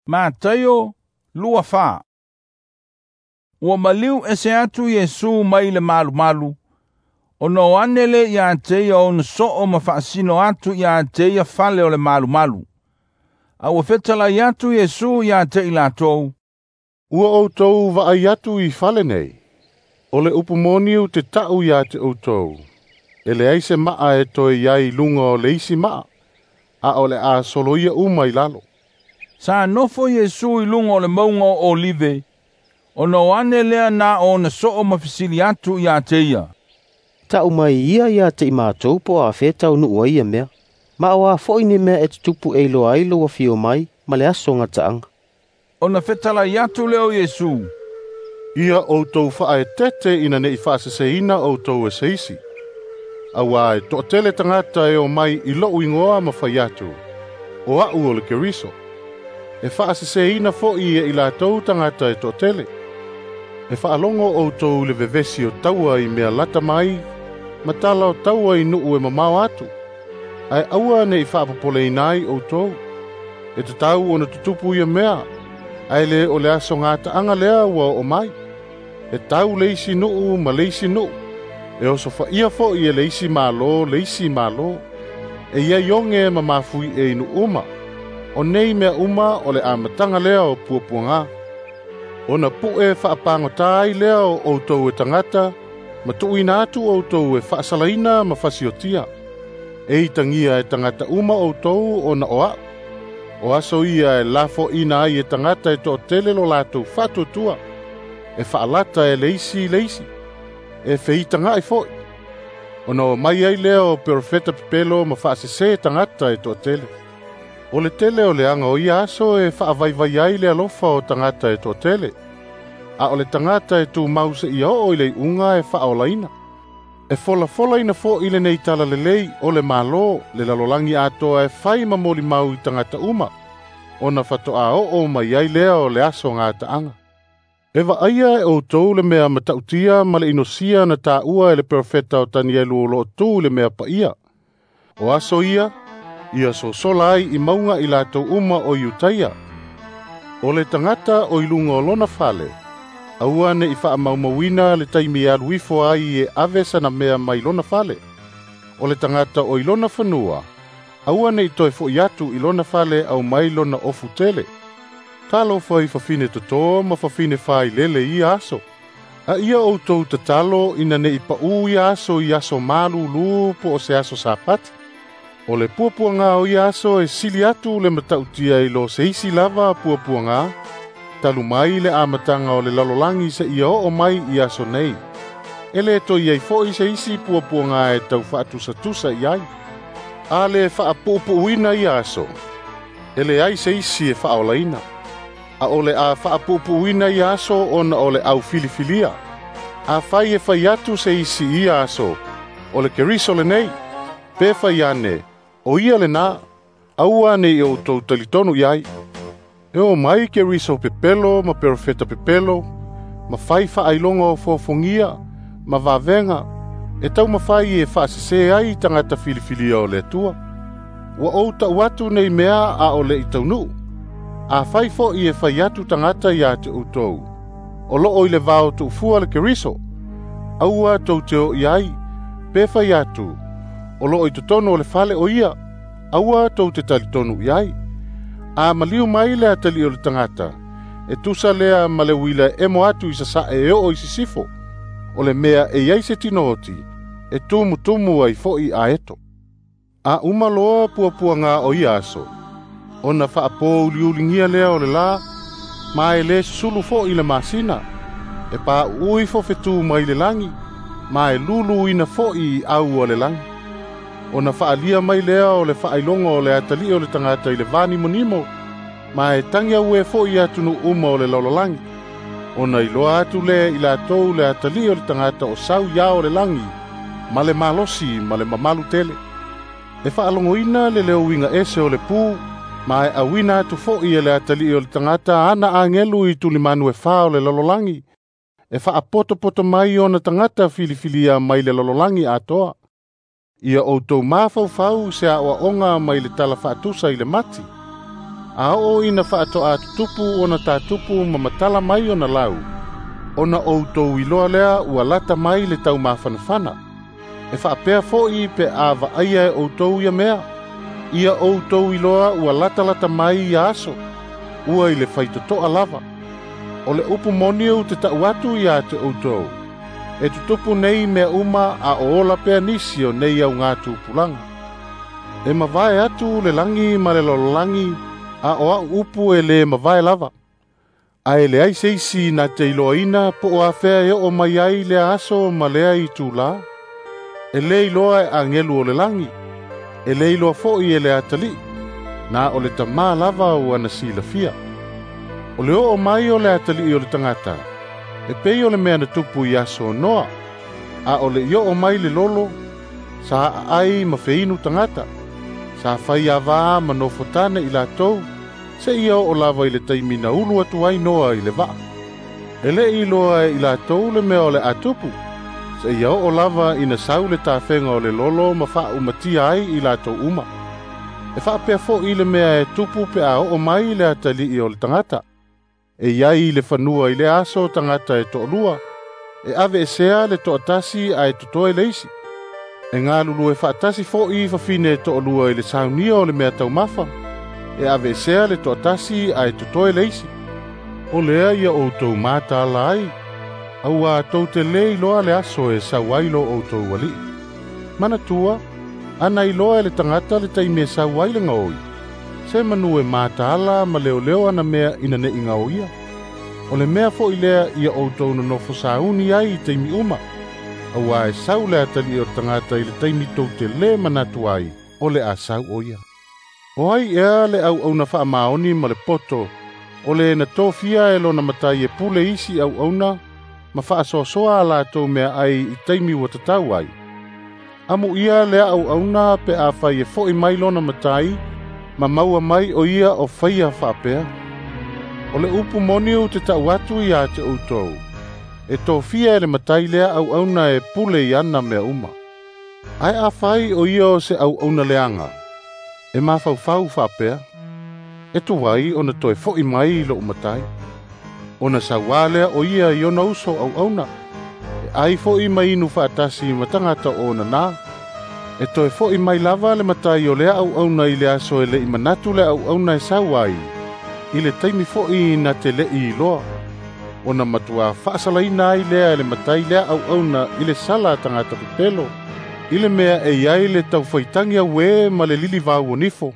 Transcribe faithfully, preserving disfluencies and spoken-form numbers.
Mataio lua fa. Ua maliu ese atu Iesu mai le malumalu, ona o ane le ia te ia ona soo ma faasino atu ia te ia fale o le malumalu. A ua fetalai atu Iesu ia te i latou, "Ua outou vaai atu i fale nei. O le upu moni ou te ta'u ia te outou, e leai se maa e toe i ai i luga o le isi maa, a o le a soloia uma i lalo." Sa nofo Iesu i luga o le mauga o Olive, ona o ane lea na ona soo ma fesili atu ia te ia, "Ta'u mai ia ia te i matou po o afea e taunuu ai ia mea, ma o a foi ni mea e tutupu e iloa ai lou afio mai ma le aso gataaga." Ona fetalai atu lea o Iesu, "Ia outou faaeteete ina ne'i faaseseina outou e se isi. Auā e toatele tagata e omai i lo'u igoa ma fai atu, ‘O a'u o le Keriso.’ E faaseseina fo'i e i latou tagata e toatele. E faalogo outou i le vevesi o taua i mea lata mai, ma tala o taua i nuu e mamao atu. Ae aua ne'i faapopoleina ai outou. E tatau ona tutupu ia mea, ae lē o le aso gataaga lea ua oo mai. E tau le isi nuu ma le isi nuu, e osofaia fo'i e le isi Malo le isi Malo. E iai oge ma mafuie i nuu uma. O nei mea uma o le amataga lea o puapuagā. Ona pu'e faapagotā ai lea o outou e tagata, ma tuuina atu outou e faasalaina ma fasiotia. E itagia e tagata uma outou ona o a'u. O aso ia e lafoina ai e tagata e toatele lo latou faatuatua, e faalata e le isi i le isi, e feitaga'i fo'i. Ona omai ai lea o perofeta pepelo ma faasesē tagata e toatele. O le tele o leaga o ia aso e faavaivai ai le alofa o tagata e toatele, a o le tagata e tumau seia oo i le iuga e faaolaina. E folafolaina fo'i lenei talalelei o le Malo le lalolagi atoa e fai ma molimau i tagata uma, ona fato'a oo mai ai lea o le aso gataaga. E vaaia e outou le mea matautia ma le inosia na taua e le perofeta o Tanielu o loo tu i le mea paia. O aso ia, ia sosola ai i mauga i latou uma o Iutaia. O le tagata o i luga o lona fale, aua ne'i faamaumauina le taimi e alu ifo ai e ave sana mea mai lona fale. O le tagata o i lona fanua, aua ne'i toe fo'i atu i lona fale aumai lona ofu tele. Talofa i fafine totō ma fafine failele i ia aso. A ia outou tatalo ina ne'i paʻū ia aso i aso malūlū po o se aso Sapati. O le puapuagā o ia aso e sili atu le matautia i lo se isi lava puapuagā, talu mai le amataga o le lalolagi seia oo mai i aso nei. E lē toe i ai fo'i se isi puapuagā e tau faatusatusa i ai. A lē faapuupuuina ia aso, e leai se isi e faaolaina. A o le a faapuupuuina ia aso ona o le aufilifilia. Afai e fai atu se isi i ia aso, ‘O le Keriso lenei,’ pe fai ane, ‘O ia lenā,’ aua ne i outou talitonu i ai. E omai Keriso pepelo ma perofeta pepelo, ma fai faailoga o fofogia ma vavega, e taumafai e faasesē ai tagata filifilia o le Atua. Ua ou ta'u atu nei mea a o le'i taunuu. Afai fo'i e fai atu tagata ia te outou, ‘O loo i le vao tuufua le Keriso,’ aua tou te o i ai, pe fai atu, ‘O loo i totonu o le fale o ia,’ aua tou te talitonu i ai. A maliu mai le atalii o le tagata, e tusa lea ma le uila e emo atu i sasae e oo i sisifo. O le mea e i ai se tinooti, e tumutumu ai fo'i aeto. A uma loa puapuagā o ia aso, ona faapōuliuligia lea o le lā, ma e lē susulu fo'i le masina, e pauu ifo fetū mai le lagi, ma e luluina fo'i i au o le lagi. Ona faalia mai lea o le faailoga o le atalii o le tagata i le vanimonimo, ma e tagi auē fo'i atunuu uma o le lalolagi. Ona iloa atu lea i latou le atalii o le tagata o sau i ao o le lagi, ma le malosi ma le mamalu tele. E faalogoina le leo uiga ese o le pū, ma e auina atu fo'i e le atalii o le tagata ana agelu i tulimanu e fā o le lalolagi, e faapotopoto mai ona tagata filifilia mai le lalolagi atoa. Ia outou mafaufau i se aoaoga mai le tala faatusa i le mati. A oo ina faatoa tutupu ona tatupu ma matala mai ona lau, ona outou iloa lea ua lata mai le taumafanafana. E faapea fo'i pe a vaaia e outou ia mea, ia outou iloa ua latalata mai ia aso, ua i le faitotoa lava. O le upu moni ou te ta'u atu ia te outou, e tutupu nei mea uma a o ola pea nisi o nei augatupulaga. E mavae atu le lagi ma le lalolagi, a o a'u upu e lē mavae lava. Ae leai se isi na te iloaina po o afea e oo mai ai lea aso ma lea itulā. E lē iloa e agelu o le lagi, e lē iloa fo'i e le atalii, na o le Tamā lava ua na silafia. O le oo mai o le atalii o le tagata, e pei o le mea na tupu i aso o Noa, a o le i oo mai le lolo, sa aai ma feinu tagata, sa fai avā ma nofotane i latou, seia oo lava i le taimi na ulu atu ai Noa i le vaa. E lē iloa e i latou le mea o le a tupu, seia oo lava ina sau le tafega o le lolo ma faaumatia ai i latou uma. E faapea fo'i le mea e tupu pe a oo mai le atalii o le tagata. E iai i le fanua i le aso tagata e to'alua, e aveesea le to'atasi ae totoe le isi. E galulue faatasi fo'i fafine e to'alua i le saunia o le mea taumafa, e aveesea le to'atasi ae totoe le isi. O lea ia outou mataala ai, auā tou te lē iloa le aso e sau ai lo outou alii. Manatua, ana iloa e le tagata le taimi e sau ai le gaoi, se manu e mataala ma leoleo ana mea ina ne'i gaoia. O le mea fo'i lea ia outou nonofo sauni ai i taimi uma, auā e sau le atalii o le tagata i le taimi tou te lē manatu ai o le a sau o ia. O ai ea le auauna faamaoni ma le poto, o le na tofia e lona matai e pule isi auauna, ma faasoasoa a latou mea ai i taimi ua tatau ai. Amuia lea auauna pe afai e fo'i mai lona matai, ma maua mai o ia o faia faapea. O le upu moni ou te ta'u atu ia te outou, e tofia e le matai lea auauna e pule i ana mea uma. Ae afai o ia o se auauna leaga, e mafaufau faapea, e tuai ona toe fo'i mai i lo'u matai. Ona sauā lea o ia i ona uso auauna, e ai fo'i ma inu faatasi ma tagata o ona nā. E toe fo'i mai lava le matai o lea auauna i le aso e le'i manatu le auauna e sau ai, i le taimi fo'i na te le'i iloa. Ona matuā faasalaina ai lea e le matai lea auauna i le sala a tagata pepelo, i le mea e iai le taufaitagi auē ma le lilivau o nifo.